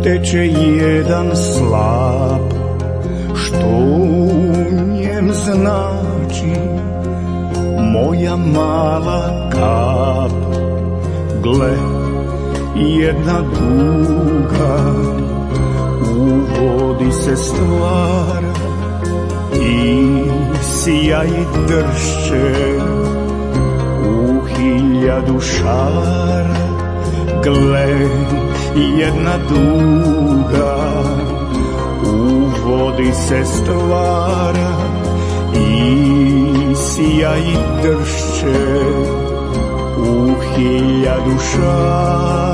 Teče jedan slap, što u njem znači moja mala kap. Gle, jedna duga u vodi se stvara i sija i dršće u 1000 šara. Gle, jedna duga u vodi se stvara i sija i dršće u 1000 šara.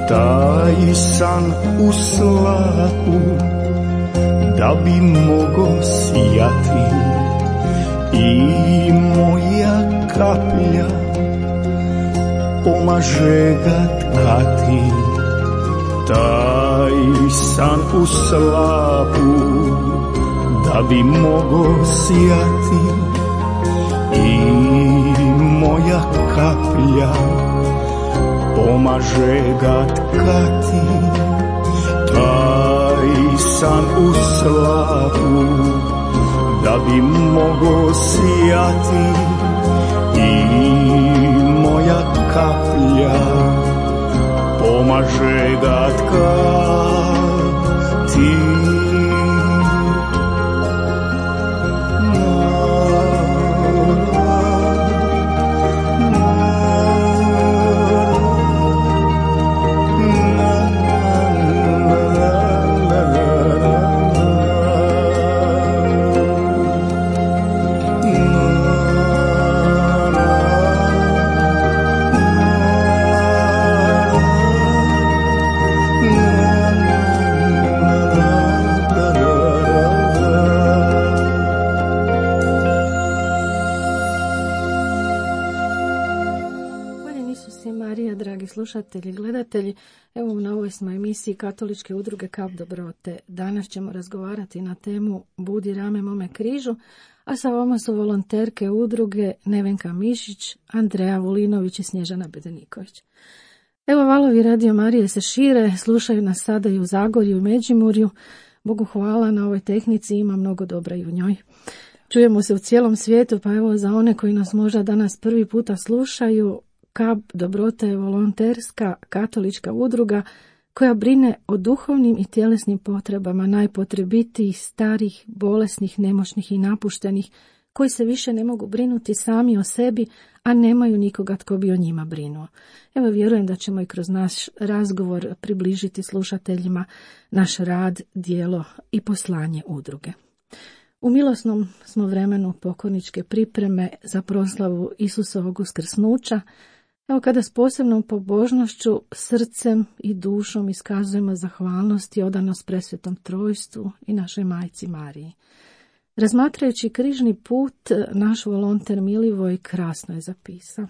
Taj san u slapu da bi mogo sijati i moja kaplja pomaže ga tkati. Taj san u slapu da bi mogo sijati i moja kaplja pomaže ga tkati. Taj san u slavu da bi mogo sijati i moja kaplja pomaže ga tkati. Slušatelji i gledatelji, evo na ovoj smo emisiji Katoličke udruge Kap dobrote. Danas ćemo razgovarati na temu Budi rame mome križu, a sa vama su volonterke udruge Nevenka Mišić, Andreja Vulinović i Snježana Bedeniković. Evo, valovi Radio Marije se šire, slušaju nas sada i u Zagorju i Međimurju. Bogu hvala na ovoj tehnici, ima mnogo dobra i u njoj. Čujemo se u cijelom svijetu, pa evo za one koji nas možda danas prvi puta slušaju, Kap dobrote je volonterska katolička udruga koja brine o duhovnim i tjelesnim potrebama najpotrebitijih, starih, bolesnih, nemoćnih i napuštenih, koji se više ne mogu brinuti sami o sebi, a nemaju nikoga tko bi o njima brinuo. Evo, vjerujem da ćemo i kroz naš razgovor približiti slušateljima naš rad, djelo i poslanje udruge. U milosnom smo vremenu pokorničke pripreme za proslavu Isusovog uskrsnuća, evo kada s posebnom pobožnošću, srcem i dušom iskazujemo zahvalnost i odanost presvetom trojstvu i našoj majci Mariji. Razmatrajući križni put, naš volonter Milivoj krasno je zapisao: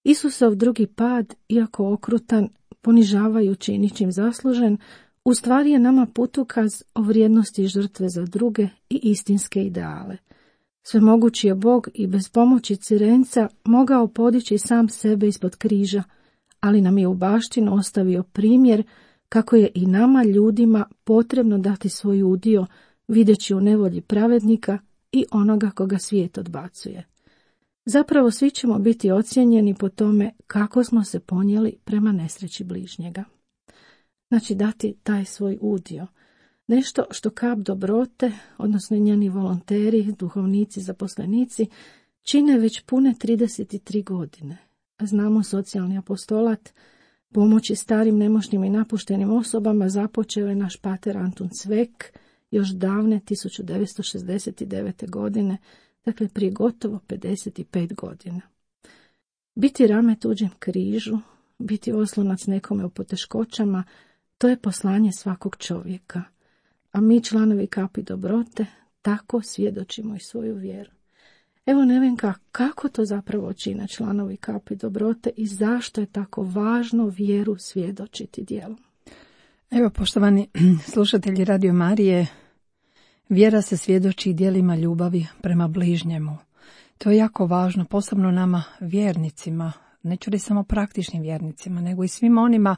Isusov drugi pad, iako okrutan, ponižavajući i ničim zaslužen, u stvari je nama putokaz o vrijednosti žrtve za druge i istinske ideale. Svemogući je Bog i bez pomoći Cirenca mogao podići sam sebe ispod križa, ali nam je u baštinu ostavio primjer kako je i nama ljudima potrebno dati svoj udio, videći u nevolji pravednika i onoga koga svijet odbacuje. Zapravo svi ćemo biti ocijenjeni po tome kako smo se ponijeli prema nesreći bližnjega. Znači dati taj svoj udio. Nešto što kap dobrote, odnosno njeni volonteri, duhovnici, zaposlenici, čine već pune 33 godine. Znamo, socijalni apostolat pomoći starim, nemoćnim i napuštenim osobama započeo je naš pater Antun Cvek još davne 1969. godine, dakle prije gotovo 55 godina. Biti rame tuđem križu, biti oslonac nekome u poteškoćama, to je poslanje svakog čovjeka. A mi, članovi kapi dobrote, tako svjedočimo i svoju vjeru. Evo Nevenka, kako to zapravo čine članovi kapi dobrote i zašto je tako važno vjeru svjedočiti djelom? Evo, poštovani slušatelji Radio Marije, vjera se svjedoči djelima ljubavi prema bližnjemu. To je jako važno, posebno nama vjernicima, neću reći samo praktičnim vjernicima, nego i svima onima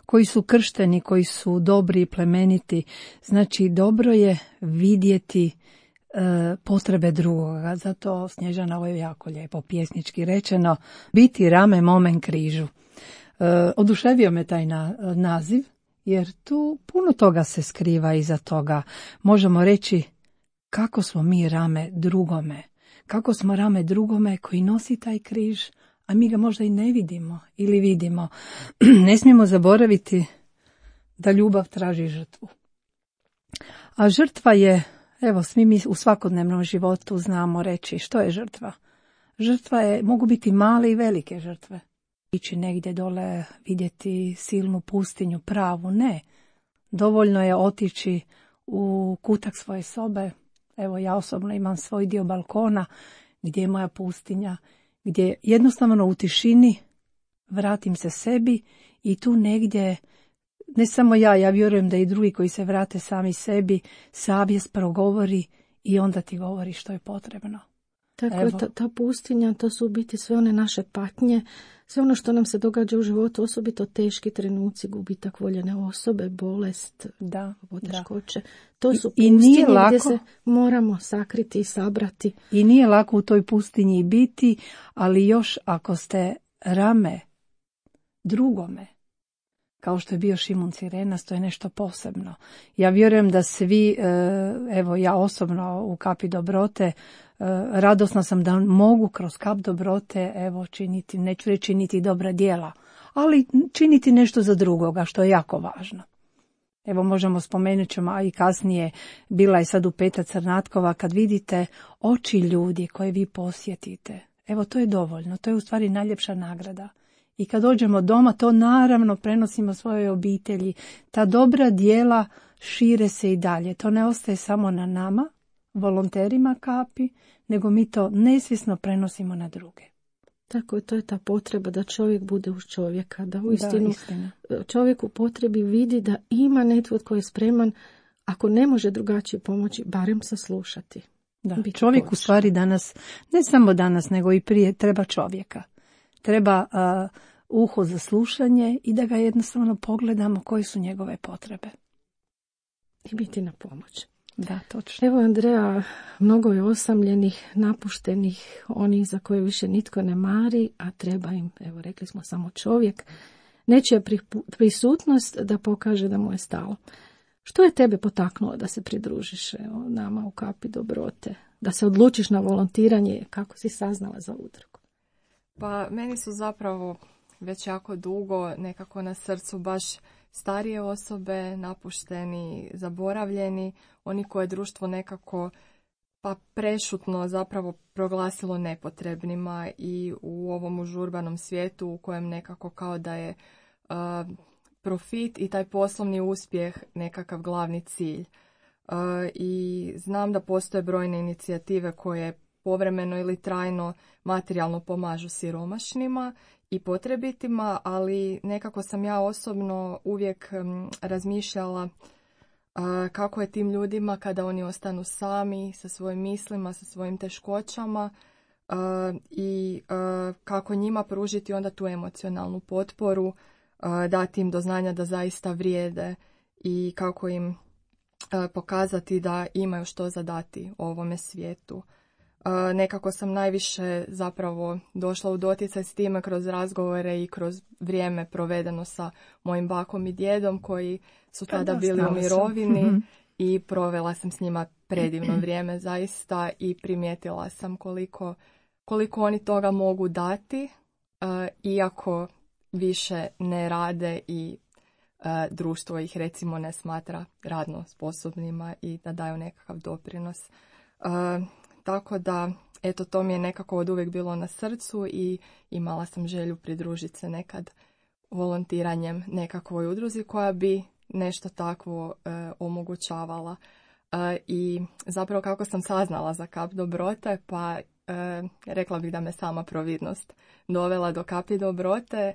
koji su kršteni, koji su dobri i plemeniti. Znači, dobro je vidjeti potrebe drugoga. Zato, Snježana, ovo je jako lijepo pjesnički rečeno, biti rame momen križu. Oduševio me taj naziv, jer tu puno toga se skriva iza toga. Možemo reći kako smo mi rame drugome. Kako smo rame drugome koji nosi taj križ, a mi ga možda i ne vidimo ili vidimo. Ne smijemo zaboraviti da ljubav traži žrtvu. A žrtva je, evo, svi mi u svakodnevnom životu znamo reći što je žrtva. Žrtva je, mogu biti male i velike žrtve. Ići negdje dole, vidjeti silnu pustinju, pravu, ne. Dovoljno je otići u kutak svoje sobe. Evo, ja osobno imam svoj dio balkona gdje je moja pustinja, gdje jednostavno u tišini vratim se sebi i tu negdje, ne samo ja vjerujem da i drugi koji se vrate sami sebi, savjest progovori i onda ti govori što je potrebno. Tako je, ta pustinja, to su u biti sve one naše patnje, sve ono što nam se događa u životu, osobito teški trenuci, gubitak voljene osobe, bolest, poteškoće. To su pustinje gdje se moramo sakriti i sabrati. I nije lako u toj pustinji biti, ali još ako ste rame drugome, kao što je bio Šimun Cirenas, to je nešto posebno. Ja vjerujem da svi, evo ja osobno u kapi dobrote, radosna sam da mogu kroz kap dobrote, evo, činiti, neću reći činiti dobra djela, ali činiti nešto za drugoga, što je jako važno. Evo, možemo spomenuti, a i kasnije, bila je sad u Peta Crnatkova, kad vidite oči ljudi koje vi posjetite. Evo, to je dovoljno, to je u stvari najljepša nagrada. I kad dođemo doma, to naravno prenosimo svojoj obitelji. Ta dobra djela šire se i dalje. To ne ostaje samo na nama, volonterima kapi, nego mi to nesvjesno prenosimo na druge. Tako je, to je ta potreba da čovjek bude uz čovjeka, da uistinu čovjek u potrebi vidi da ima netko tko je spreman, ako ne može drugačije pomoći, barem saslušati. Da, čovjek u stvari danas, ne samo danas, nego i prije, treba čovjeka. Treba uho za slušanje i da ga jednostavno pogledamo koje su njegove potrebe. I biti na pomoć. Da, točno. Evo, Andreja, mnogo je osamljenih, napuštenih, onih za koje više nitko ne mari, a treba im, evo rekli smo, samo čovjek, nečija prisutnost da pokaže da mu je stalo. Što je tebe potaknulo da se pridružiš nama u kapi dobrote, da se odlučiš na volontiranje, kako si saznala za udrugu? Pa meni su zapravo već jako dugo nekako na srcu baš starije osobe, napušteni, zaboravljeni, oni koje društvo nekako pa prešutno zapravo proglasilo nepotrebnima i u ovom užurbanom svijetu u kojem nekako kao da je profit i taj poslovni uspjeh nekakav glavni cilj. I znam da postoje brojne inicijative koje povremeno ili trajno materijalno pomažu siromašnima i potrebitima, ali nekako sam ja osobno uvijek razmišljala kako je tim ljudima kada oni ostanu sami sa svojim mislima, sa svojim teškoćama i kako njima pružiti onda tu emocionalnu potporu dati im do znanja da zaista vrijede i kako im pokazati da imaju što zadati ovome svijetu. Nekako sam najviše zapravo došla u doticaj s time kroz razgovore i kroz vrijeme provedeno sa mojim bakom i djedom koji su tada bili u mirovini i provela sam s njima predivno vrijeme zaista i primijetila sam koliko oni toga mogu dati iako više ne rade i društvo ih recimo ne smatra radno sposobnima i da daju nekakav doprinos. Tako da, eto, to mi je nekako od uvijek bilo na srcu i imala sam želju pridružiti se nekad volontiranjem nekakvoj udruzi koja bi nešto takvo omogućavala. I zapravo kako sam saznala za Kap dobrote, pa rekla bih da me sama providnost dovela do Kapi dobrote.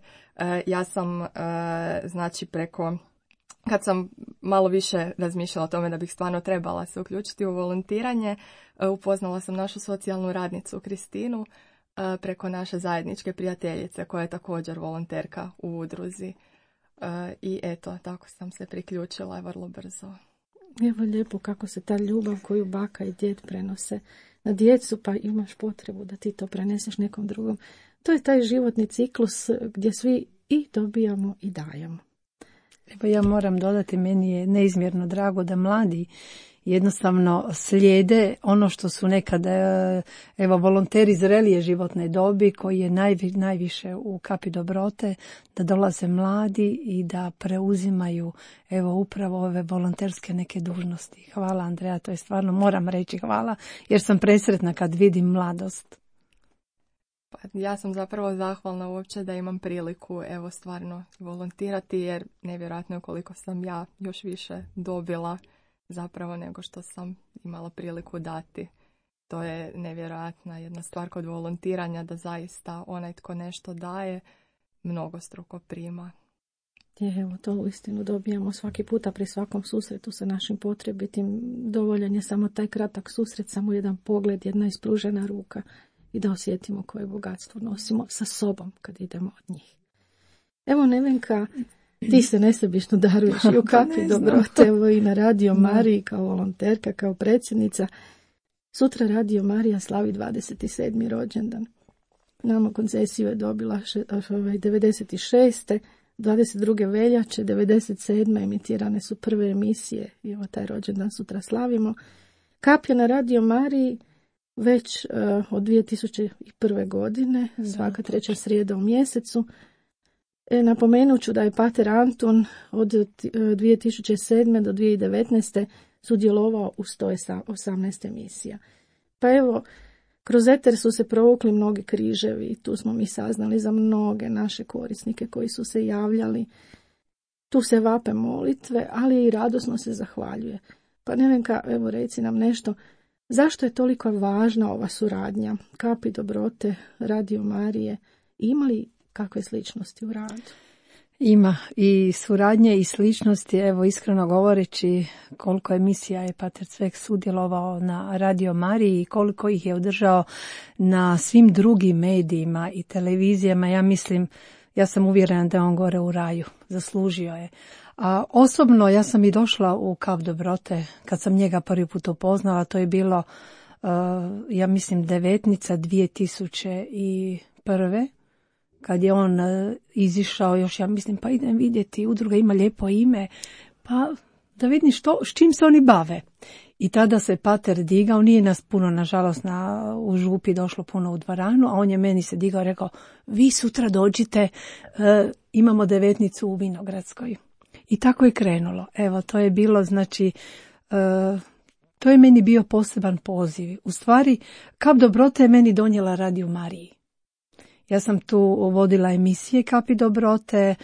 Ja sam, znači, kad sam malo više razmišljala o tome da bih stvarno trebala se uključiti u volontiranje, upoznala sam našu socijalnu radnicu Kristinu preko naše zajedničke prijateljice koja je također volonterka u udruzi. I eto, tako sam se priključila vrlo brzo. Evo lijepo kako se ta ljubav koju baka i djed prenose na djecu, pa imaš potrebu da ti to preneseš nekom drugom. To je taj životni ciklus gdje svi i dobijamo i dajemo. Evo ja moram dodati, meni je neizmjerno drago da mladi jednostavno slijede ono što su nekad, evo, volonteri zrelije životne dobi koji je najviše u Kapi dobrote, da dolaze mladi i da preuzimaju evo upravo ove volonterske neke dužnosti. Hvala Andreja, to je stvarno, moram reći hvala, jer sam presretna kad vidim mladost. Pa ja sam zapravo zahvalna uopće da imam priliku evo stvarno volontirati, jer nevjerojatno je koliko sam ja još više dobila zapravo nego što sam imala priliku dati. To je nevjerojatna jedna stvar kod volontiranja, da zaista onaj tko nešto daje mnogostruko prima. Evo, to uistinu dobijamo svaki puta pri svakom susretu sa našim potrebitim. Dovoljan je samo taj kratak susret, samo jedan pogled, jedna ispružena ruka i da osjetimo koje bogatstvo nosimo sa sobom kad idemo od njih. Evo, Nevenka, ti se nesebično daruješ i u Kapi dobrote, evo i na Radio Mariji kao volonterka, kao predsjednica. Sutra Radio Marija slavi 27. rođendan. Nama koncesiju je dobila 96. 22. veljače, 97. emitirane su prve emisije i evo taj rođendan sutra slavimo. Kap je na Radio Mariji već od 2001. godine, svaka treća srijeda u mjesecu. Napomenut ću da je pater Antun od 2007. do 2019. sudjelovao u 118 emisija. Pa evo, kroz eter su se provukli mnogi križevi i tu smo mi saznali za mnoge naše korisnike koji su se javljali. Tu se vape molitve, ali i radosno se zahvaljuje. Pa Nevenka, evo reci nam nešto, zašto je toliko važna ova suradnja Kapi dobrote, Radio Marije, ima li kakve sličnosti u radu? Ima i suradnje i sličnosti, evo iskreno govoreći koliko emisija je pater Cvek sudjelovao na Radio Mariji i koliko ih je održao na svim drugim medijima i televizijama, ja sam uvjerena da je on gore u raju, zaslužio je. A osobno ja sam i došla u Kap dobrote kad sam njega prvi put upoznala, to je bilo ja mislim 2001. Kad je on izišao, još ja mislim pa idem vidjeti, udruga ima lijepo ime, pa da vidim s čim se oni bave. I tada se pater digao, nije nas puno, nažalost, u župi došlo puno u dvoranu, a on je meni se digao i rekao, vi sutra dođite, imamo 9 u Vinogradskoj. I tako je krenulo. Evo, to je bilo, znači, to je meni bio poseban poziv. U stvari, Kap dobrote je meni donijela Radio Mariji. Ja sam tu vodila emisije Kapi dobrote,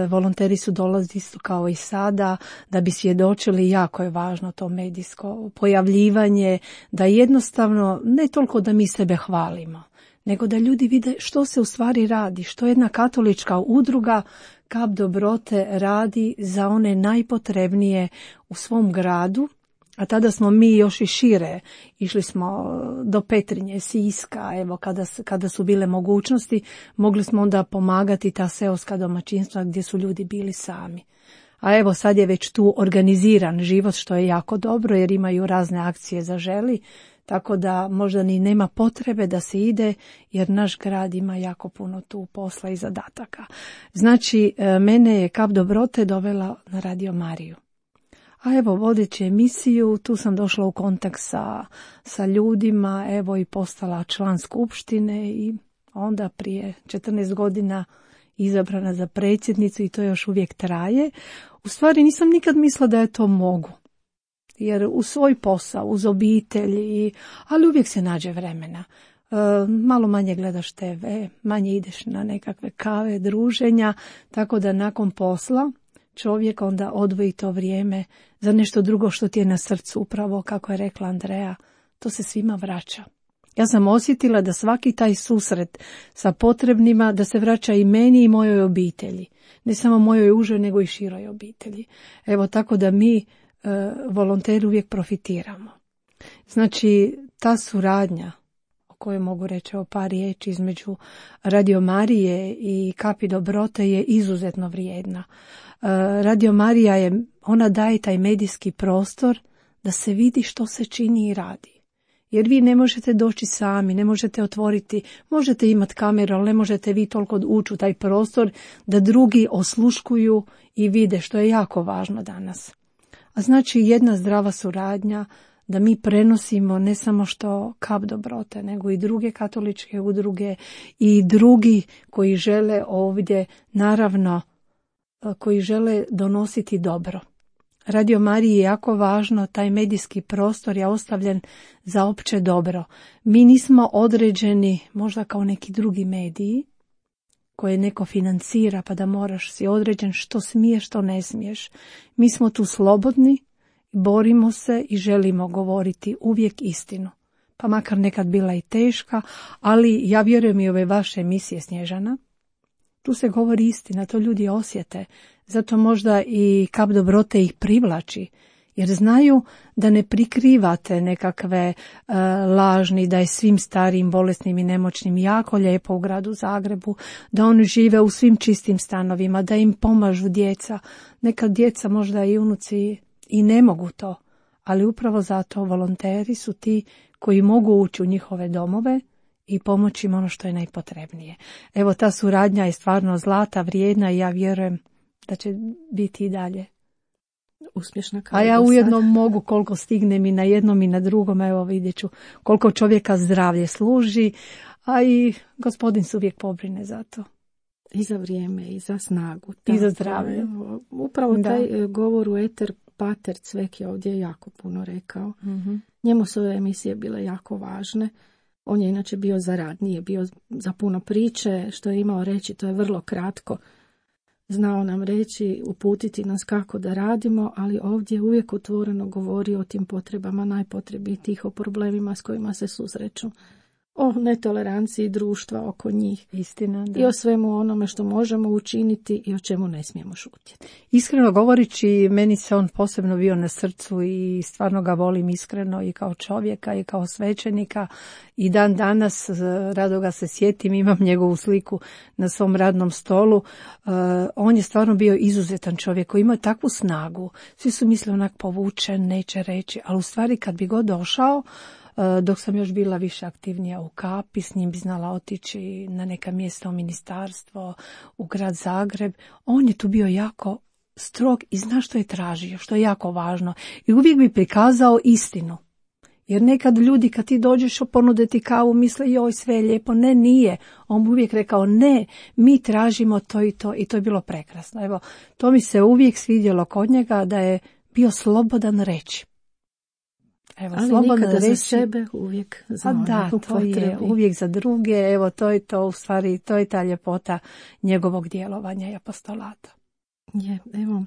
volonteri su dolazili isto kao i sada, da bi svjedočili, jako je važno to medijsko pojavljivanje, da jednostavno ne toliko da mi sebe hvalimo, nego da ljudi vide što se u stvari radi, što jedna katolička udruga Kap dobrote radi za one najpotrebnije u svom gradu A tada smo mi još i šire, išli smo do Petrinje, Siska, evo kada su bile mogućnosti, mogli smo onda pomagati ta seoska domaćinstva gdje su ljudi bili sami. A evo sad je već tu organiziran život, što je jako dobro jer imaju razne akcije za želi, tako da možda ni nema potrebe da se ide jer naš grad ima jako puno tu posla i zadataka. Znači, mene je Kap dobrote dovela na Radio Mariju. A evo, vodeći emisiju, tu sam došla u kontakt sa ljudima, evo i postala član skupštine i onda prije 14 godina izabrana za predsjednicu i to još uvijek traje. U stvari nisam nikad mislila da je to mogu, jer u svoj posao, uz obitelj, ali uvijek se nađe vremena. Malo manje gledaš TV, manje ideš na nekakve kave, druženja, tako da nakon posla čovjek onda odvoji to vrijeme za nešto drugo što ti je na srcu, upravo kako je rekla Andreja, to se svima vraća. Ja sam osjetila da svaki taj susret sa potrebnima, da se vraća i meni i mojoj obitelji. Ne samo mojoj užoj, nego i široj obitelji. Evo tako da mi, volonteri, uvijek profitiramo. Znači, ta suradnja, o kojoj mogu reći o par riječi, između Radio Marije i Kapi dobrote je izuzetno vrijedna. Radio Marija ona daje taj medijski prostor da se vidi što se čini i radi. Jer vi ne možete doći sami, ne možete otvoriti, možete imati kameru, ali ne možete vi toliko ući u taj prostor da drugi osluškuju i vide, što je jako važno danas. A znači jedna zdrava suradnja da mi prenosimo ne samo što Kap dobrote, nego i druge katoličke udruge i drugi koji žele ovdje, naravno, koji žele donositi dobro. Radio Mariji je jako važno, taj medijski prostor je ostavljen za opće dobro. Mi nismo određeni možda kao neki drugi mediji koje neko financira pa da moraš si određen što smiješ, što ne smiješ. Mi smo tu slobodni, borimo se i želimo govoriti uvijek istinu. Pa makar nekad bila i teška, ali ja vjerujem i ove vaše emisije Snježana. Tu se govori istina, to ljudi osjete. Zato možda i Kap dobrote ih privlači, jer znaju da ne prikrivate nekakve lažni, da je svim starijim, bolesnim i nemoćnim jako lijepo u gradu Zagrebu, da oni žive u svim čistim stanovima, da im pomažu djeca. Nekad djeca, možda i unuci, i ne mogu to, ali upravo zato volonteri su ti koji mogu ući u njihove domove i pomoći im ono što je najpotrebnije. Evo, ta suradnja je stvarno zlata, vrijedna i ja vjerujem da će biti i dalje uspješna. Kao a ja ujedno mogu koliko stignem i na jednom i na drugom, evo vidjet ću koliko čovjeka zdravlje služi, a i Gospodin se uvijek pobrine za to. I za vrijeme, i za snagu. I za zdravlje. Upravo taj govor u eter Pater Cvek je ovdje jako puno rekao. Mm-hmm. Njemu su ove emisije bile jako važne. On je inače bio za rad, nije bio za puno priče, što je imao reći, to je vrlo kratko. Znao nam reći, uputiti nas kako da radimo, ali ovdje uvijek otvoreno govori o tim potrebama najpotrebitijih, o problemima s kojima se susreću, o netoleranciji društva oko njih. Istina, da. I o svemu onome što možemo učiniti i o čemu ne smijemo šutjeti. Iskreno govoreći, meni se on posebno bio na srcu i stvarno ga volim iskreno i kao čovjeka i kao svećenika i dan danas rado ga se sjetim, imam njegovu sliku na svom radnom stolu. On je stvarno bio izuzetan čovjek koji ima takvu snagu. Svi su mislili onak povučen, neće reći, ali u stvari kad bi god došao, dok sam još bila više aktivnija u Kapi, s njim bi znala otići na neka mjesta u ministarstvo, u grad Zagreb. On je tu bio jako strog i zna što je tražio, što je jako važno. I uvijek bi prikazao istinu. Jer nekad ljudi kad ti dođeš ponuditi kavu misle joj sve je lijepo. Ne, nije. On bi uvijek rekao ne, mi tražimo to i to. I to je bilo prekrasno. Evo, to mi se uvijek svidjelo kod njega da je bio slobodan reći. Evo, ali slobodno nikada reći, za sebe, uvijek za one da, u to je potrebi. uvijek za druge, evo to je to u stvari, to je ta ljepota njegovog djelovanja i apostolata. Je, evo,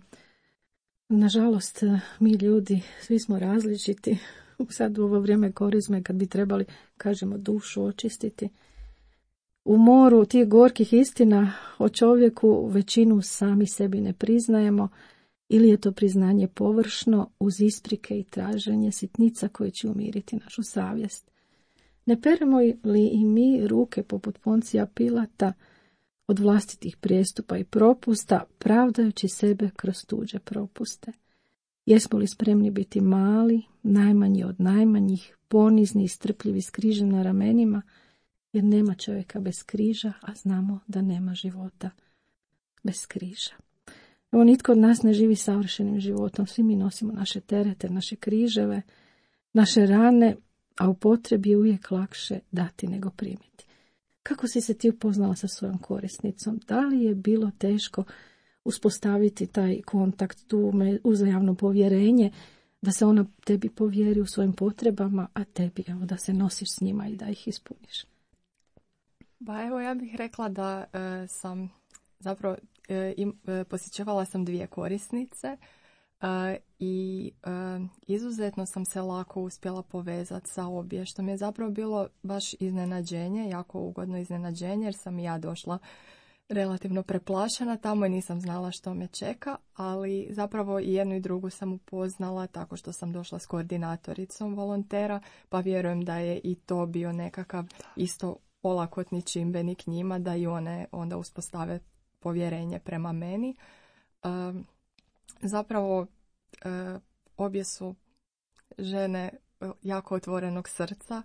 nažalost, mi ljudi, svi smo različiti, sad u ovo vrijeme korizme kad bi trebali, kažemo, dušu očistiti. U moru tih gorkih istina o čovjeku većinu sami sebi ne priznajemo ili je to priznanje površno uz isprike i traženje sitnica koje će umiriti našu savjest? Ne peremo li i mi ruke poput Poncija Pilata od vlastitih prijestupa i propusta, pravdajući sebe kroz tuđe propuste? Jesmo li spremni biti mali, najmanji od najmanjih, ponizni i strpljivi s križem na ramenima, jer nema čovjeka bez križa, a znamo da nema života bez križa. Evo, nitko od nas ne živi savršenim životom, svi mi nosimo naše terete, naše križeve, naše rane, a u potrebi je uvijek lakše dati nego primiti. Kako si se ti upoznala sa svojom korisnicom? Da li je bilo teško uspostaviti taj kontakt, tu uzajamno povjerenje, da se ona tebi povjeri u svojim potrebama, a tebi da se nosiš s njima i da ih ispuniš? Ba evo, ja bih rekla da sam zapravo posjećivala sam 2 korisnice i izuzetno sam se lako uspjela povezati sa obje, što mi je zapravo bilo baš iznenađenje, jako ugodno iznenađenje, jer sam i ja došla relativno preplašena tamo i nisam znala što me čeka, ali zapravo i jednu i drugu sam upoznala tako što sam došla s koordinatoricom volontera, pa vjerujem da je i to bio nekakav isto olakotni čimbenik njima, da i one onda uspostave povjerenje prema meni. Zapravo obje su žene jako otvorenog srca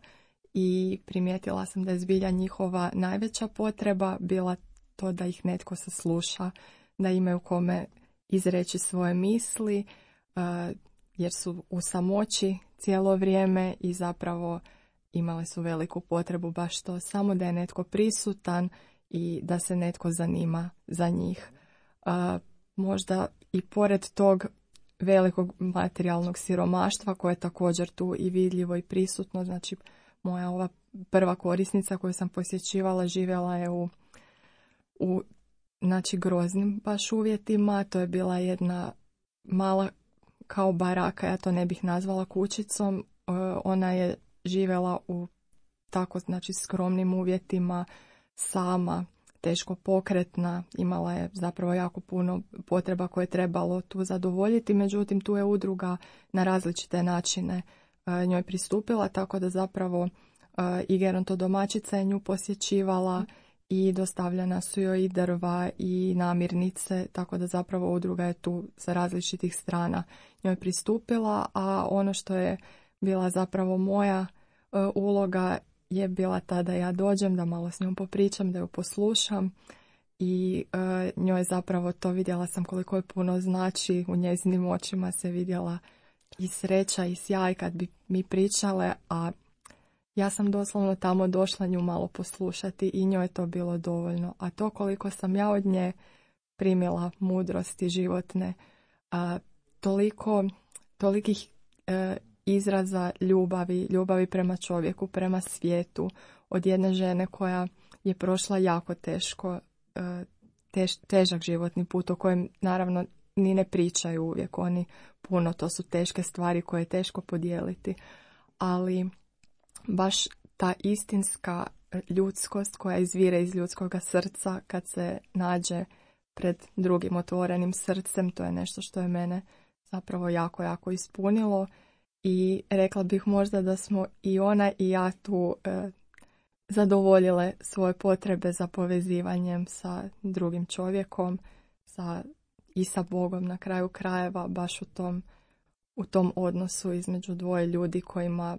i primijetila sam da je zbilja njihova najveća potreba bila to da ih netko sasluša, da imaju kome izreći svoje misli, jer su u samoći cijelo vrijeme i zapravo imale su veliku potrebu baš to, samo da je netko prisutan i da se netko zanima za njih. Možda i pored tog velikog materijalnog siromaštva koje je također tu i vidljivo i prisutno, znači moja ova prva korisnica koju sam posjećivala živjela je u znači groznim baš uvjetima. To je bila jedna mala kao baraka, ja to ne bih nazvala kućicom. Ona je živjela u tako znači skromnim uvjetima, sama, teško pokretna, imala je zapravo jako puno potreba koje je trebalo tu zadovoljiti, međutim tu je udruga na različite načine njoj pristupila, tako da zapravo i gerontodomaćica je nju posjećivala i dostavljena su joj i drva i namirnice, tako da zapravo udruga je tu sa različitih strana njoj pristupila, a ono što je bila zapravo moja uloga je bila ta da ja dođem, da malo s njom popričam, da ju poslušam i njoj zapravo to vidjela sam koliko je puno znači, u njezinim očima se vidjela i sreća i sjaj kad bi mi pričale, a ja sam doslovno tamo došla nju malo poslušati i njoj je to bilo dovoljno. A to koliko sam ja od nje primila mudrosti životne, tolikih izraza ljubavi prema čovjeku, prema svijetu, od jedne žene koja je prošla jako težak životni put o kojem naravno ni ne pričaju uvijek oni puno, to su teške stvari koje je teško podijeliti, ali baš ta istinska ljudskost koja izvire iz ljudskoga srca kad se nađe pred drugim otvorenim srcem, to je nešto što je mene zapravo jako, jako ispunilo i rekla bih možda da smo i ona i ja tu zadovoljile svoje potrebe za povezivanjem sa drugim čovjekom i sa Bogom na kraju krajeva, baš u tom odnosu između dvoje ljudi kojima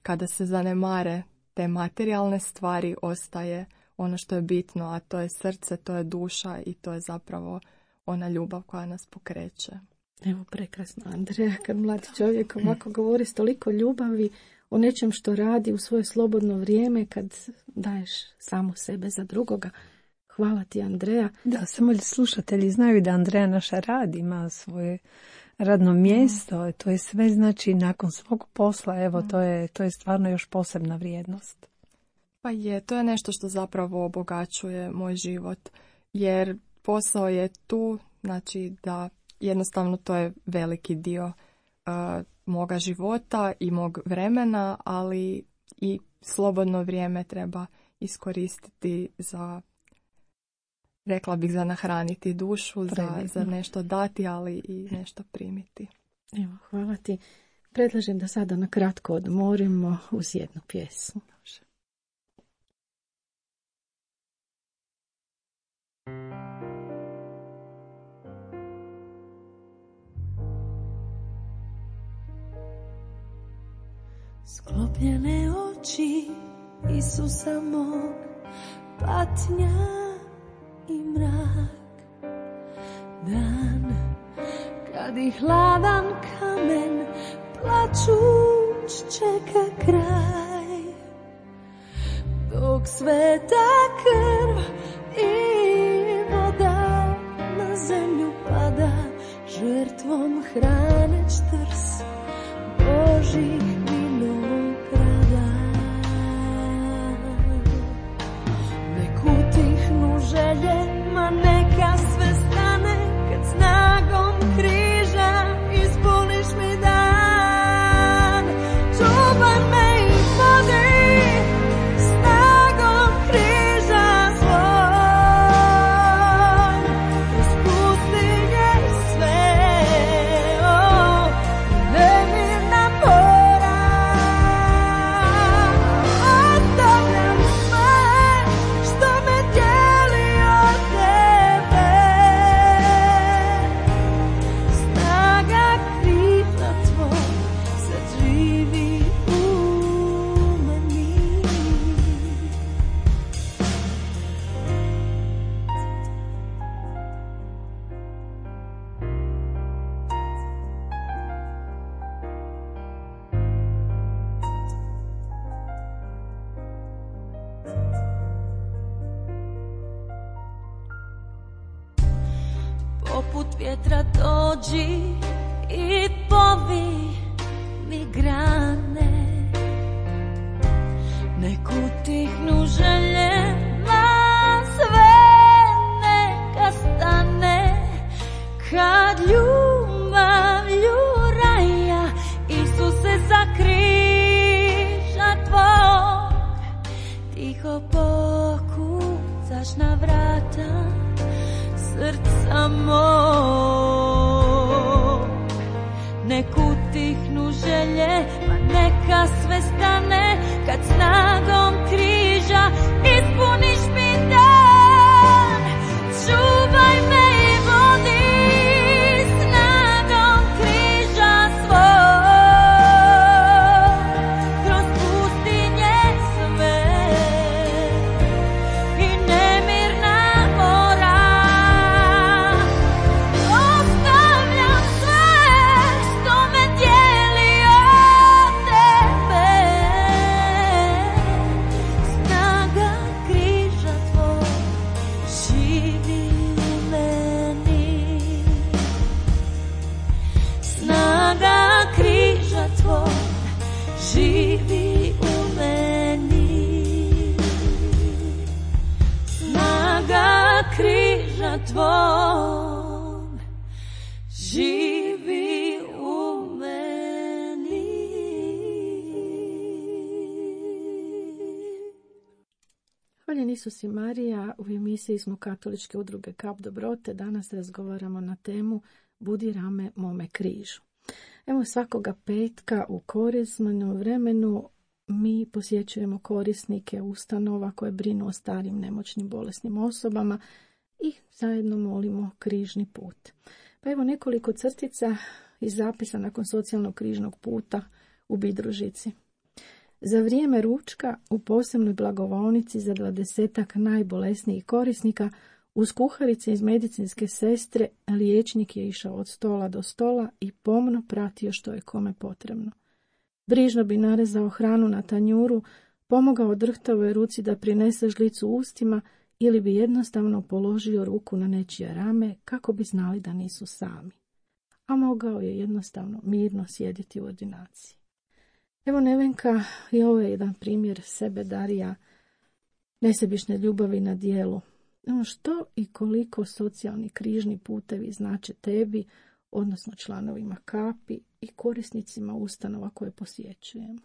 kada se zanemare te materijalne stvari ostaje ono što je bitno, a to je srce, to je duša i to je zapravo ona ljubav koja nas pokreće. Evo, prekrasno, Andreja, kad mladi čovjek ovako govori s toliko ljubavi o nečem što radi u svoje slobodno vrijeme, kad daješ samo sebe za drugoga. Hvala ti, Andreja. Da, samo slušatelji znaju da Andreja naša rad ima svoje radno mjesto, to je sve znači nakon svog posla, evo to je stvarno još posebna vrijednost. Pa to je nešto što zapravo obogaćuje moj život, jer posao je tu, znači da jednostavno to je veliki dio moga života i mog vremena, ali i slobodno vrijeme treba iskoristiti rekla bih, za nahraniti dušu, za nešto dati, ali i nešto primiti. Evo, hvala ti. Predlažem da sada na kratko odmorimo uz jednu pjesmu. Sklopljene oči Isusa mog, patnja i mrak. Dan kad i hladan kamen plačuć čeka kraj, dok sveta krv i voda na zemlju pada, žrtvom hraneć trs Božih vinograda. Nek utihnu želje, ma neka sve stane, kad snagom križa ispuniš mi dan. Čuvaj me i vodi snagom križa svoj, kroz pustinje sve, nemirna mora. Ostavljam sve što me dijeli od tebe, snaga križa tvoj sad živi u meni. Poput vjetra dođi i povi mi grane, nek utihnu želje, ma sve neka stane. Kad ljubavlju raja Isuse za križa tvog tiho pokucaš na vrata srca mog. Nek utihnu želje, pa neka sve stane, kad snagom križa ispuniš mi dan. Čuvaj me i vodi snagom križa svoj, kroz pustinje sve i nemirna mora. Ostavljam sve što me dijeli od tebe, snaga križa tvoj živi u meni. Snaga križa tvoj živi u meni. Snaga križa tvoj živi u meni. Hvaljen Isus i Marija, u emisiji smo Katoličke udruge Kap dobrote. Danas razgovaramo na temu Budi rame mome križu. Evo, svakoga petka u korizmanom vremenu mi posjećujemo korisnike ustanova koje brinu o starim, nemoćnim, bolesnim osobama i zajedno molimo križni put. Pa evo nekoliko crtica iz zapisa nakon socijalnog križnog puta u Bidružici. Za vrijeme ručka u posebnoj blagovaonici za 20 najbolesnijih korisnika uz kuharice iz medicinske sestre liječnik je išao od stola do stola i pomno pratio što je kome potrebno. Brižno bi narezao hranu na tanjuru, pomogao drhtavoj ruci da prinese žlicu ustima ili bi jednostavno položio ruku na nečije rame kako bi znali da nisu sami. A mogao je jednostavno mirno sjediti u ordinaciji. Evo Nevenka, i ovo je jedan primjer sebe Darija, nesebične ljubavi na dijelu. Što i koliko socijalni križni putevi znače tebi, odnosno članovima Kapi i korisnicima ustanova koje posjećujem?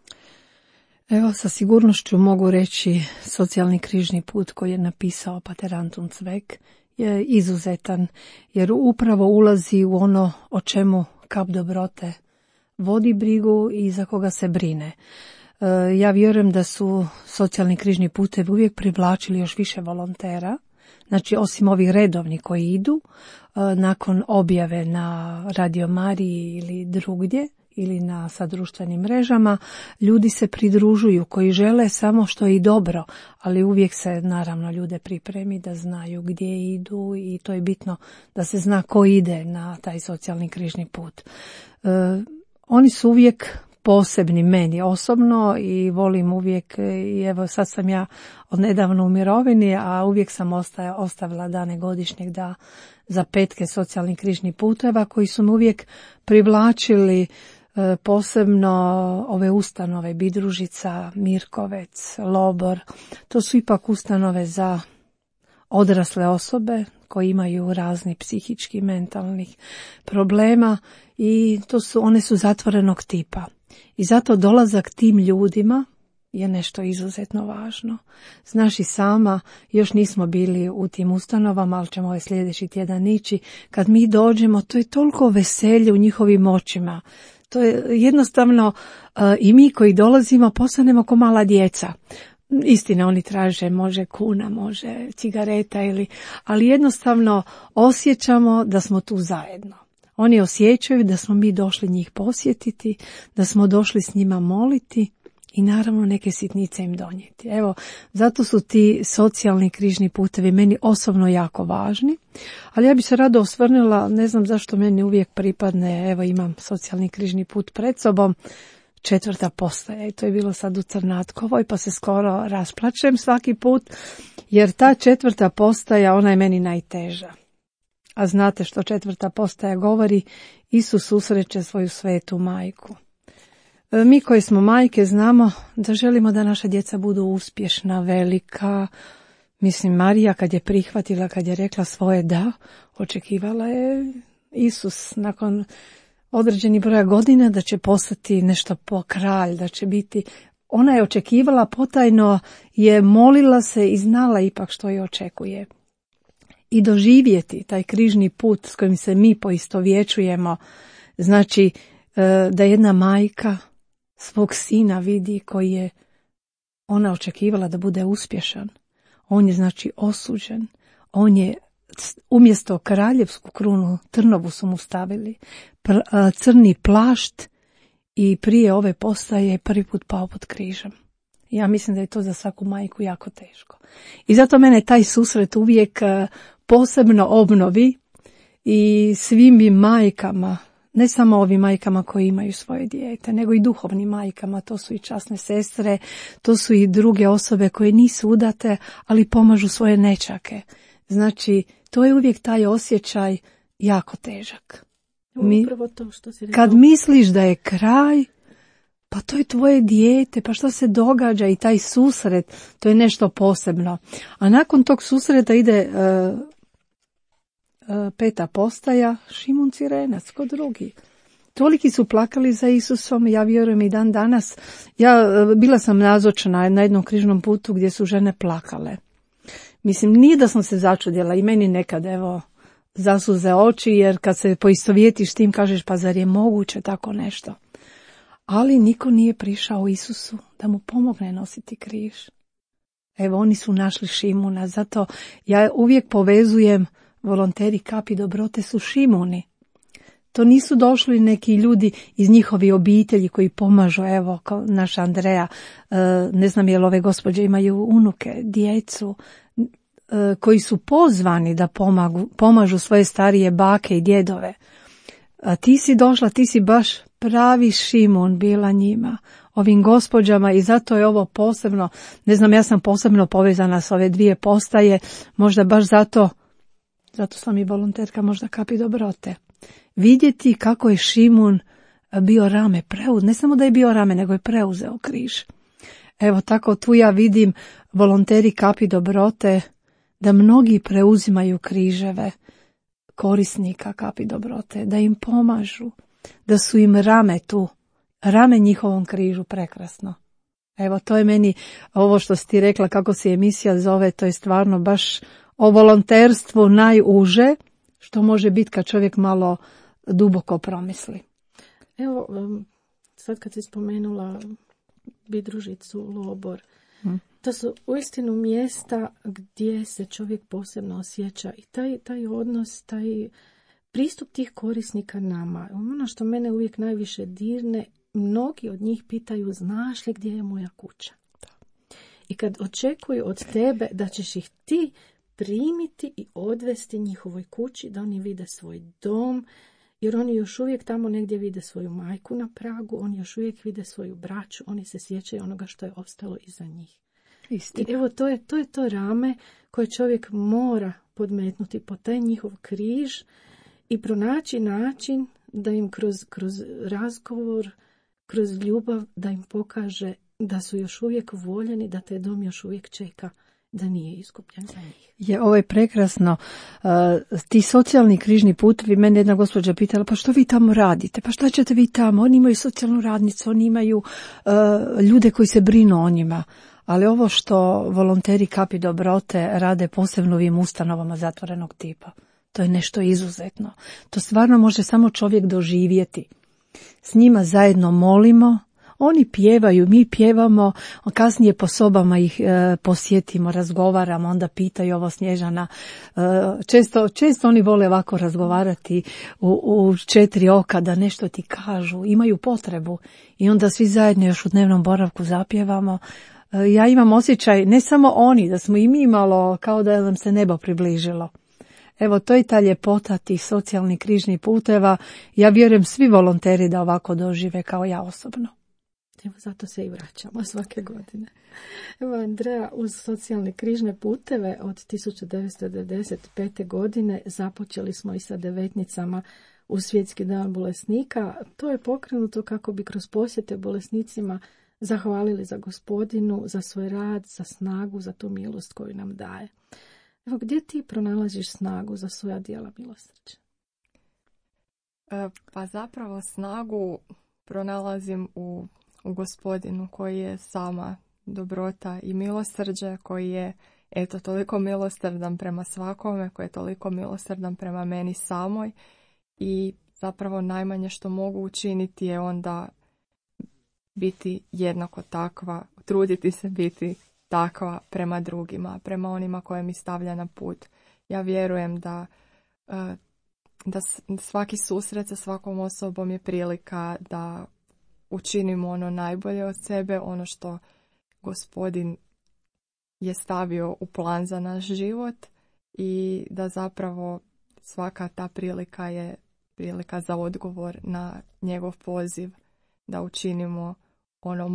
Evo, sa sigurnošću mogu reći socijalni križni put koji je napisao pater Anton Cvek je izuzetan, jer upravo ulazi u ono o čemu Kap dobrote vodi brigu i za koga se brine. Ja vjerujem da su socijalni križni putevi uvijek privlačili još više volontera, znači osim ovih redovnih koji idu nakon objave na Radio Mariji ili drugdje ili na sa društvenim mrežama, ljudi se pridružuju koji žele samo što je i dobro, ali uvijek se naravno ljude pripremi da znaju gdje idu i to je bitno da se zna ko ide na taj socijalni križni put. Oni su uvijek posebni meni osobno i volim uvijek, i evo sad sam ja odnedavno u mirovini, a uvijek sam ostavila dane godišnjeg da za petke socijalnih križnih puteva koji su me uvijek privlačili, posebno ove ustanove Bidružica, Mirkovec, Lobor. To su ipak ustanove za odrasle osobe koji imaju raznih psihičkih, mentalnih problema i one su zatvorenog tipa. I zato dolazak tim ljudima je nešto izuzetno važno. Znaš i sama, još nismo bili u tim ustanovama, ali ćemo ovaj sljedeći tjedan ići. Kad mi dođemo, to je toliko veselje u njihovim očima. To je jednostavno i mi koji dolazimo postanemo ko mala djeca. Istina, oni traže može kuna, može cigareta, ali jednostavno osjećamo da smo tu zajedno. Oni osjećaju da smo mi došli njih posjetiti, da smo došli s njima moliti i naravno neke sitnice im donijeti. Evo, zato su ti socijalni križni putevi meni osobno jako važni, ali ja bi se rado osvrnula, ne znam zašto meni uvijek pripadne, evo imam socijalni križni put pred sobom, 4. postaja i to je bilo sad u Crnatkovoj, pa se skoro rasplačem svaki put, jer ta 4. postaja, ona je meni najteža. A znate što 4. postaja govori? Isus susreće svoju svetu majku. Mi koji smo majke znamo da želimo da naša djeca budu uspješna, velika. Mislim, Marija kad je prihvatila, kad je rekla svoje da, očekivala je Isus nakon određenih broja godina da će postati nešto po kralj, da će biti. Ona je očekivala, potajno je molila se i znala ipak što je očekuje. I doživjeti taj križni put s kojim se mi poistovjećujemo, znači da jedna majka svog sina vidi koji je ona očekivala da bude uspješan. On je znači osuđen, on je umjesto kraljevsku krunu trnovu su mu stavili, crni plašt i prije ove postaje prvi put pao pod križem. Ja mislim da je to za svaku majku jako teško. I zato mene taj susret uvijek posebno obnovi i svim bi majkama, ne samo ovim majkama koji imaju svoje dijete, nego i duhovnim majkama, to su i časne sestre, to su i druge osobe koje nisu udate, ali pomažu svoje nećake. Znači, to je uvijek taj osjećaj jako težak. Upravo to što si rekao. Kad misliš da je kraj, pa to je tvoje dijete, pa što se događa i taj susret, to je nešto posebno. A nakon tog susreta ide 5. postaja, Šimun Cirenac, ko drugi. Toliki su plakali za Isusom, ja vjerujem i dan danas. Ja bila sam nazočna na jednom križnom putu gdje su žene plakale. Mislim, nije da sam se začudila i meni nekad, evo, zasuze oči, jer kad se poistovjetiš s tim kažeš pa zar je moguće tako nešto. Ali niko nije prišao Isusu da mu pomogne nositi križ. Evo, oni su našli Šimuna, zato ja uvijek povezujem volonteri Kapi dobrote su Šimuni. To nisu došli neki ljudi iz njihovi obitelji koji pomažu, evo, kao naša Andreja, ne znam je li ove gospođe imaju unuke, djecu, koji su pozvani da pomažu svoje starije bake i djedove. A ti si došla, ti si baš pravi Šimun bila njima, ovim gospođama i zato je ovo posebno, ne znam, ja sam posebno povezana s ove 2 postaje, možda baš zato sam i volonterka možda Kapi dobrote. Vidjeti kako je Šimun bio rame, ne samo da je bio rame, nego je preuzeo križ. Evo tako tu ja vidim volonteri Kapi dobrote da mnogi preuzimaju križeve korisnika Kapi dobrote, da im pomažu, da su im rame njihovom križu prekrasno. Evo to je meni, ovo što si ti rekla kako se emisija zove, to je stvarno baš o volonterstvu najuže, što može biti kad čovjek malo duboko promisli. Evo, sad kad si spomenula Bidružicu, Lobor, to su uistinu mjesta gdje se čovjek posebno osjeća i taj odnos, taj pristup tih korisnika nama. Ono što mene uvijek najviše dirne, mnogi od njih pitaju, znaš li gdje je moja kuća? I kad očekuju od tebe da ćeš ih ti primiti i odvesti njihovoj kući, da oni vide svoj dom, jer oni još uvijek tamo negdje vide svoju majku na pragu, oni još uvijek vide svoju braću, oni se sjećaju onoga što je ostalo iza njih. Istina. I evo, to je to rame koje čovjek mora podmetnuti po taj njihov križ i pronaći način da im kroz razgovor, kroz ljubav, da im pokaže da su još uvijek voljeni, da taj dom još uvijek čeka, da nije iskupljen za njih. Ovo je prekrasno. Ti socijalni križni putevi, mene jedna gospođa pitala, pa što vi tamo radite? Pa šta ćete vi tamo? Oni imaju socijalnu radnicu, oni imaju ljude koji se brinu o njima. Ali ovo što volonteri Kapi dobrote rade posebno ovim ustanovama zatvorenog tipa, to je nešto izuzetno. To stvarno može samo čovjek doživjeti. S njima zajedno molimo, oni pjevaju, mi pjevamo, kasnije po ih posjetimo, razgovaramo, onda pitaju ovo Snježana. Često oni vole ovako razgovarati u 4 oka da nešto ti kažu, imaju potrebu i onda svi zajedno još u dnevnom boravku zapjevamo. Ja imam osjećaj, ne samo oni, da smo i mi malo kao da nam se nebo približilo. Evo, to je ta ljepota tih socijalnih križnih puteva. Ja vjerujem svi volonteri da ovako dožive kao ja osobno. Evo, zato se i vraćamo svake godine. Evo, Andreja, uz socijalne križne puteve od 1995. godine započeli smo i sa devetnicama u Svjetski dan bolesnika. To je pokrenuto kako bi kroz posjete bolesnicima zahvalili za Gospodinu, za svoj rad, za snagu, za tu milost koju nam daje. Evo, gdje ti pronalaziš snagu za svoja djela milosrđa? Pa zapravo snagu pronalazim u Gospodinu koji je sama dobrota i milosrđe, koji je toliko milosrdan prema svakome, koji je toliko milosrdan prema meni samoj i zapravo najmanje što mogu učiniti je onda biti jednako takva, truditi se biti takva prema drugima, prema onima koje mi stavlja na put. Ja vjerujem da svaki susret sa svakom osobom je prilika da učinimo ono najbolje od sebe, ono što Gospodin je stavio u plan za naš život i da zapravo svaka ta prilika je prilika za odgovor na njegov poziv da učinimo ono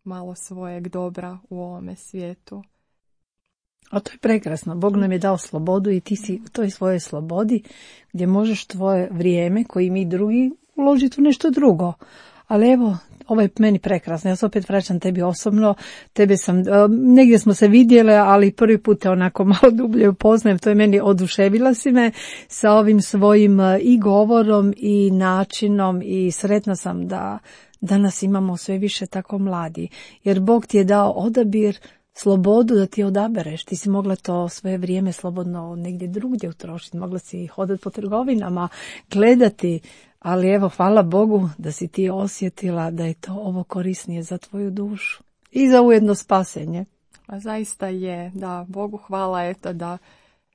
malo svojeg dobra u ovome svijetu. A to je prekrasno. Bog nam je dao slobodu i ti si u toj svojoj slobodi gdje možeš tvoje vrijeme koji mi drugi uložiti u nešto drugo. Ali evo, ovo je meni prekrasno. Ja se opet vraćam tebi osobno. Tebe sam, negdje smo se vidjele, ali prvi put te onako malo dublje upoznajem. To je meni, oduševila si me sa ovim svojim i govorom i načinom i sretna sam da danas imamo sve više tako mladi. Jer Bog ti je dao odabir, slobodu da ti odabereš. Ti si mogla to svoje vrijeme slobodno negdje drugdje utrošiti. Mogla si hodati po trgovinama, gledati. Ali evo, hvala Bogu da si ti osjetila da je to ovo korisnije za tvoju dušu i za ujedno spasenje. A zaista je, da, Bogu hvala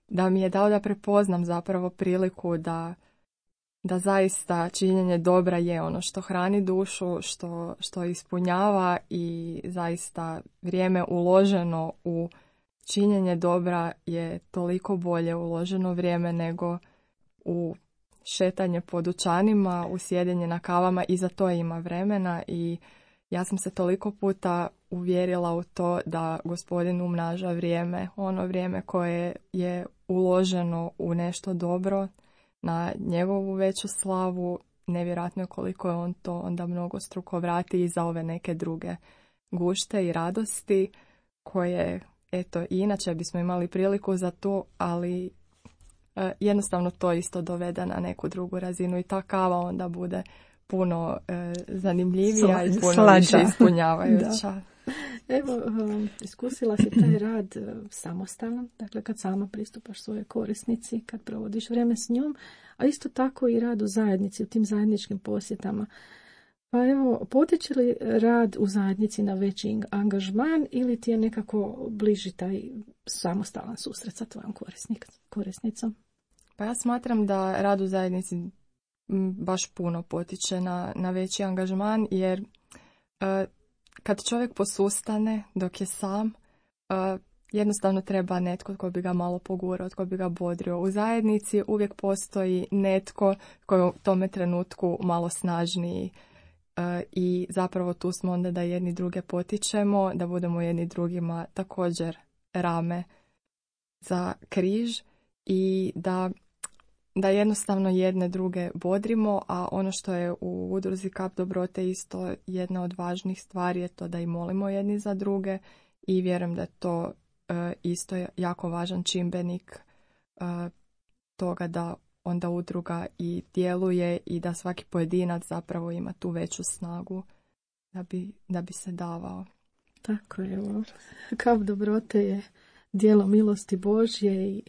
da mi je dao da prepoznam zapravo priliku da zaista činjenje dobra je ono što hrani dušu, što ispunjava i zaista vrijeme uloženo u činjenje dobra je toliko bolje uloženo vrijeme nego u šetanje po dućanima, u sjedenje na kavama i za to ima vremena i ja sam se toliko puta uvjerila u to da Gospodin umnaža vrijeme, ono vrijeme koje je uloženo u nešto dobro, na njegovu veću slavu, nevjerojatno je koliko je on to onda mnogostruko vrati i za ove neke druge gušte i radosti koje, eto, inače bismo imali priliku za to, ali jednostavno to isto dovede na neku drugu razinu i ta kava onda bude puno zanimljivija i puno više ispunjavajuća. Evo, iskusila si taj rad samostalno, dakle kad sama pristupaš svojoj korisnici, kad provodiš vrijeme s njom, a isto tako i rad u zajednici, u tim zajedničkim posjetama. Pa evo, potiče li rad u zajednici na veći angažman ili ti je nekako bliži taj samostalan susret sa tvojom korisnicom? Pa ja smatram da rad u zajednici baš puno potiče na veći angažman, jer kad čovjek posustane dok je sam, jednostavno treba netko tko bi ga malo pogurao, tko bi ga bodrio. U zajednici uvijek postoji netko koji je u tome trenutku malo snažniji i zapravo tu smo onda da jedni druge potičemo, da budemo jedni drugima također rame za križ i da jednostavno jedne druge bodrimo, a ono što je u udruzi Kap dobrote isto jedna od važnih stvari je to da i molimo jedni za druge i vjerujem da je to isto jako važan čimbenik toga da onda udruga i djeluje i da svaki pojedinac zapravo ima tu veću snagu da bi se davao. Tako je, evo, Kap dobrote je djelo milosti Božje i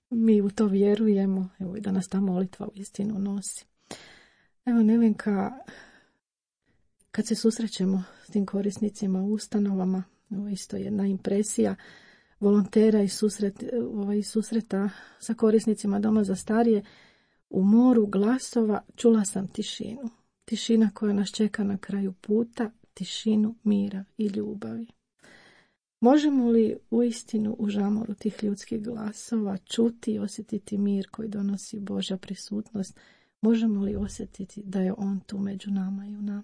mi u to vjerujemo, evo i da nas ta molitva u istinu nosi. Evo, Nevenka, kad se susrećemo s tim korisnicima u ustanovama, ovo isto jedna impresija volontera i susreta sa korisnicima doma za starije, u moru glasova čula sam tišinu. Tišina koja nas čeka na kraju puta, tišinu mira i ljubavi. Možemo li uistinu u žamoru tih ljudskih glasova čuti i osjetiti mir koji donosi Božja prisutnost? Možemo li osjetiti da je On tu među nama i u nama?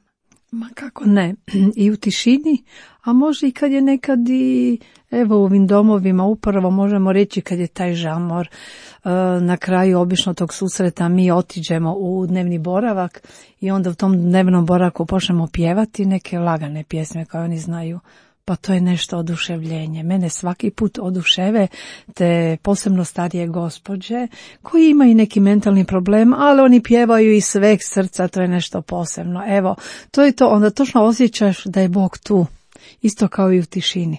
Ma kako ne, i u tišini, a može i kad je nekad i evo u ovim domovima upravo možemo reći kad je taj žamor. Na kraju obično tog susreta mi otiđemo u dnevni boravak i onda u tom dnevnom boravku počnemo pjevati neke lagane pjesme koje oni znaju. Pa to je nešto oduševljenje. Mene svaki put oduševe te posebno starije gospođe koji imaju neki mentalni problem, ali oni pjevaju iz sveg srca, to je nešto posebno. Evo, to je to, onda točno osjećaš da je Bog tu, isto kao i u tišini.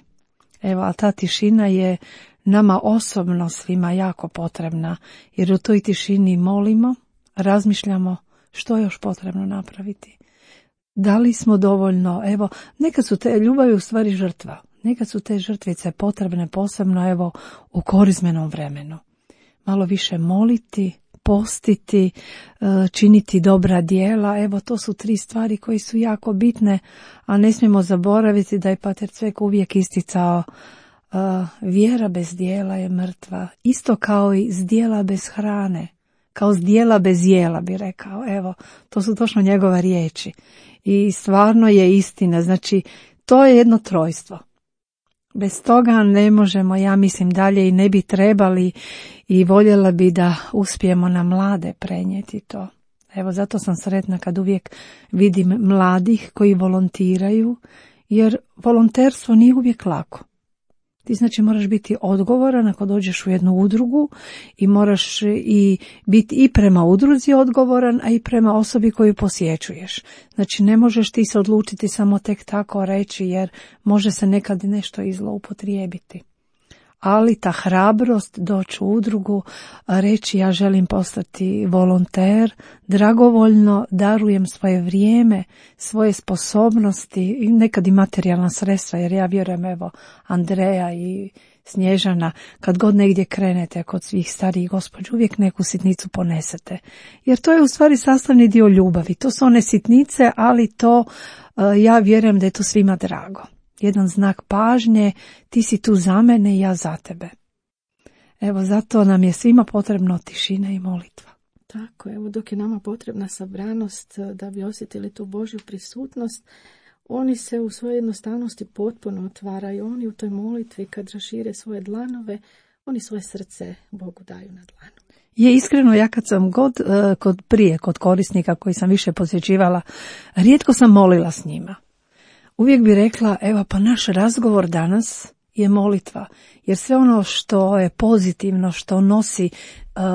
Evo, a ta tišina je nama osobno svima jako potrebna, jer u toj tišini molimo, razmišljamo što je još potrebno napraviti. Da li smo dovoljno, evo, nekad su te ljubavi u stvari žrtva, nekad su te žrtvice potrebne posebno, evo, u korizmenom vremenu. Malo više moliti, postiti, činiti dobra djela, evo, to su 3 stvari koje su jako bitne, a ne smijemo zaboraviti da je Pater Cvek uvijek isticao vjera bez djela je mrtva, isto kao i zdjela bez hrane, kao zdjela bez jela bi rekao, evo, to su točno njegove riječi. I stvarno je istina, znači to je jedno trojstvo. Bez toga ne možemo, ja mislim, dalje i ne bi trebali i voljela bi da uspijemo na mlade prenijeti to. Evo, zato sam sretna kad uvijek vidim mladih koji volontiraju, jer volonterstvo nije uvijek lako. Ti znači moraš biti odgovoran ako dođeš u jednu udrugu i moraš i biti i prema udruzi odgovoran, a i prema osobi koju posjećuješ. Znači ne možeš ti se odlučiti samo tek tako reći jer može se nekad nešto i zloupotrijebiti. Ali ta hrabrost doći u udrugu, reći ja želim postati volonter, dragovoljno darujem svoje vrijeme, svoje sposobnosti i nekad i materijalna sredstva, jer ja vjerujem, evo, Andreja i Snježana, kad god negdje krenete kod svih starijih gospođa, uvijek neku sitnicu ponesete. Jer to je u stvari sastavni dio ljubavi. To su one sitnice, ali to ja vjerujem da je to svima drago. Jedan znak pažnje, ti si tu za mene i ja za tebe. Evo, zato nam je svima potrebno tišina i molitva. Tako, evo, dok je nama potrebna sabranost da bi osjetili tu Božju prisutnost, oni se u svojoj jednostavnosti potpuno otvaraju. Oni u toj molitvi kad rašire svoje dlanove, oni svoje srce Bogu daju na dlanu. Je iskreno, ja kad sam kod korisnika koji sam više posjećivala, rijetko sam molila s njima. Uvijek bi rekla, evo pa naš razgovor danas je molitva. Jer sve ono što je pozitivno, što nosi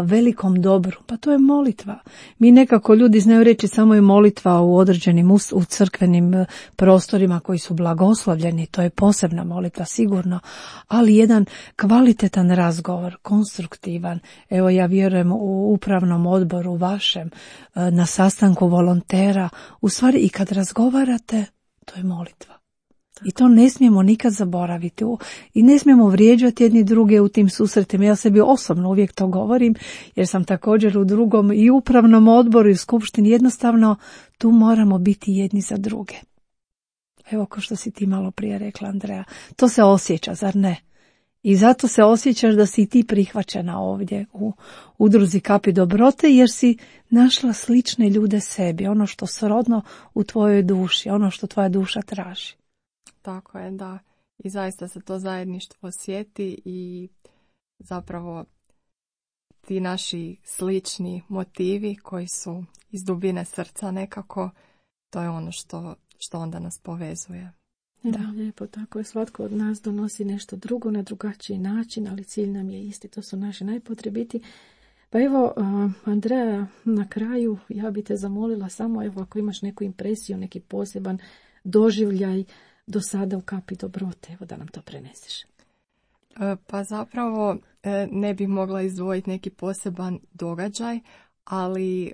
velikom dobru, pa to je molitva. Mi nekako ljudi znaju reći samo je molitva u određenim u crkvenim prostorima koji su blagoslovljeni, to je posebna molitva sigurno, ali jedan kvalitetan razgovor, konstruktivan. Evo ja vjerujem u upravnom odboru vašem, na sastanku volontera, u stvari i kad razgovarate, to je molitva. I to ne smijemo nikad zaboraviti. I ne smijemo vrijeđati jedni druge u tim susretima. Ja sebi osobno uvijek to govorim, jer sam također u drugom i upravnom odboru i u skupštini. Jednostavno, tu moramo biti jedni za druge. Evo ko što si ti malo prije rekla, Andreja. To se osjeća, zar ne? I zato se osjećaš da si i ti prihvaćena ovdje u udruzi Kapi dobrote, jer si našla slične ljude sebi. Ono što srodno u tvojoj duši, ono što tvoja duša traži. Tako je, da. I zaista se to zajedništvo osjeti i zapravo ti naši slični motivi koji su iz dubine srca nekako, to je ono što onda nas povezuje. Da, lijepo, tako je. Svatko od nas donosi nešto drugo na drugačiji način, ali cilj nam je isti, to su naši najpotrebiti. Pa evo, Andreja, na kraju ja bi te zamolila samo, evo, ako imaš neku impresiju, neki poseban doživljaj do sada u Kapi dobrote, evo da nam to preneseš. Pa zapravo ne bih mogla izdvojiti neki poseban događaj, ali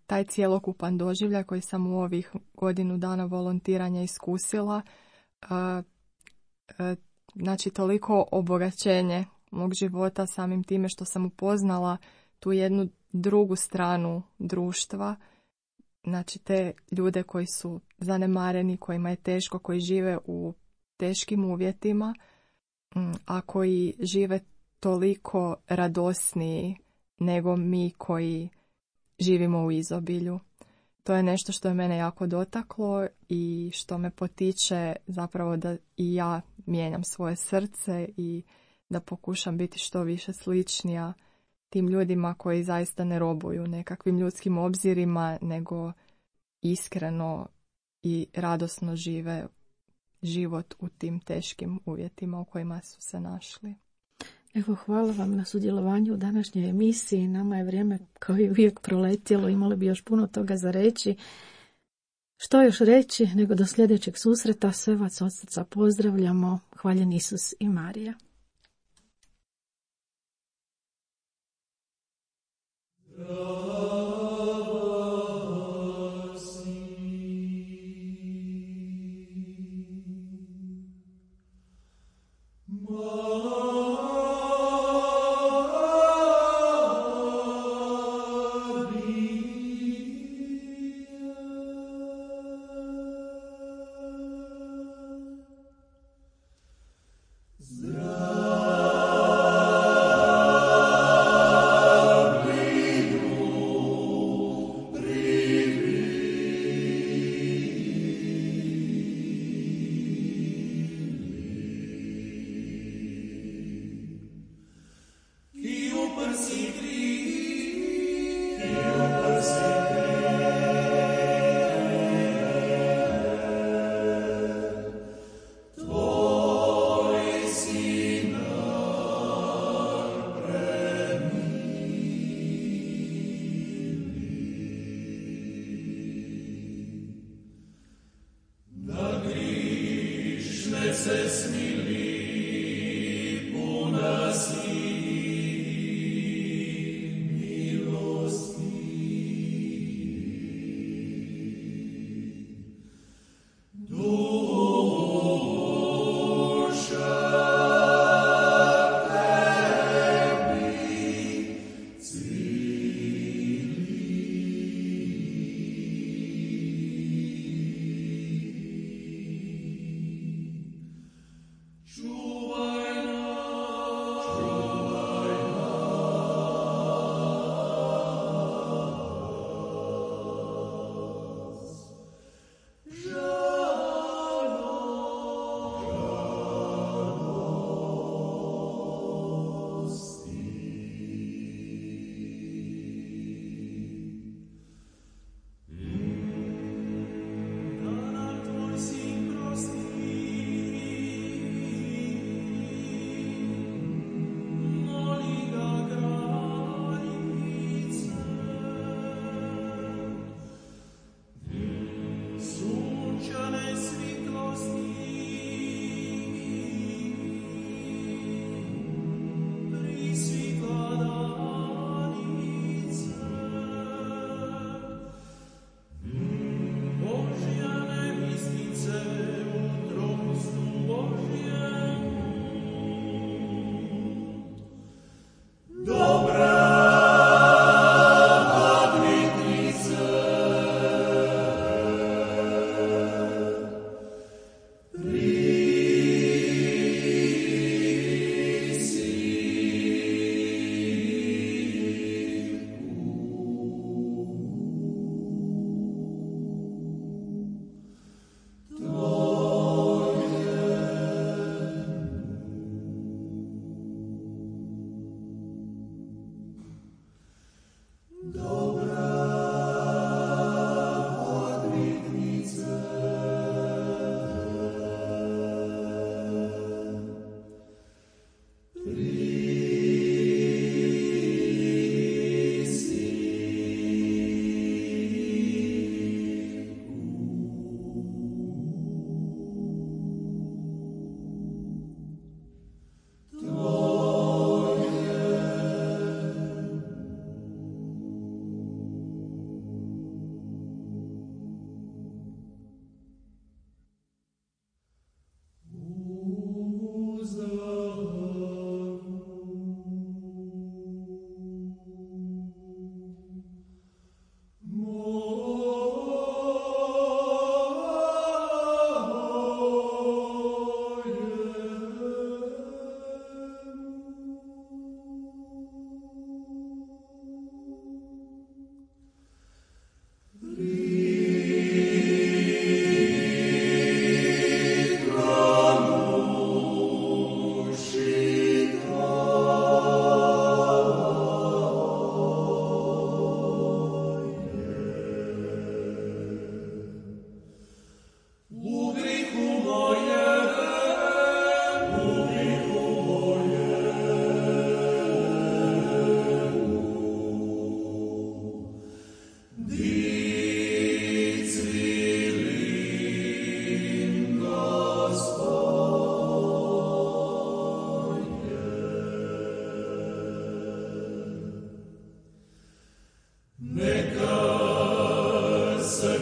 taj cjelokupan doživljaj koji sam u ovih godinu dana volontiranja iskusila, znači toliko obogaćenje mog života samim time što sam upoznala tu jednu drugu stranu društva, znači te ljude koji su zanemareni, kojima je teško, koji žive u teškim uvjetima, a koji žive toliko radosniji nego mi koji živimo u izobilju. To je nešto što je mene jako dotaklo i što me potiče zapravo da i ja mijenjam svoje srce i da pokušam biti što više sličnija tim ljudima koji zaista ne robuju nekakvim ljudskim obzirima, nego iskreno i radosno žive život u tim teškim uvjetima u kojima su se našli. Evo, hvala vam na sudjelovanju u današnjoj emisiji. Nama je vrijeme kao i uvijek proletjelo, imali bi još puno toga za reći. Što još reći nego do sljedećeg susreta, sve vas od srca pozdravljamo. Hvaljen Isus i Marija. Zdravi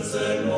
srce